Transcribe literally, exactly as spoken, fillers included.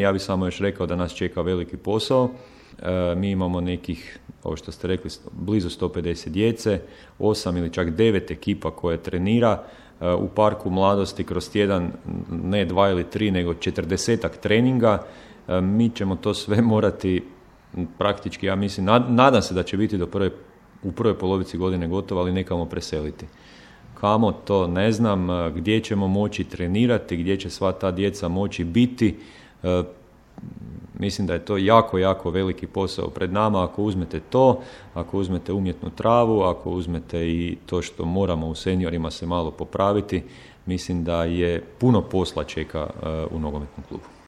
Ja bih samo još rekao da nas čeka veliki posao. E, mi imamo nekih, ovo što ste rekli, blizu sto pedeset djece, osam ili čak devet ekipa koje trenira. E, u Parku mladosti kroz tjedan ne dva ili tri, nego četrdesetak treninga. E, mi ćemo to sve morati praktički, ja mislim, nad, nadam se da će biti do prve, u prvoj polovici godine gotovo, ali nekamo preseliti. Kamo, to ne znam, gdje ćemo moći trenirati, gdje će sva ta djeca moći biti. E, mislim da je to jako, jako veliki posao pred nama. Ako uzmete to, ako uzmete umjetnu travu, ako uzmete i to što moramo u seniorima se malo popraviti, mislim da je puno posla čeka uh, u nogometnom klubu.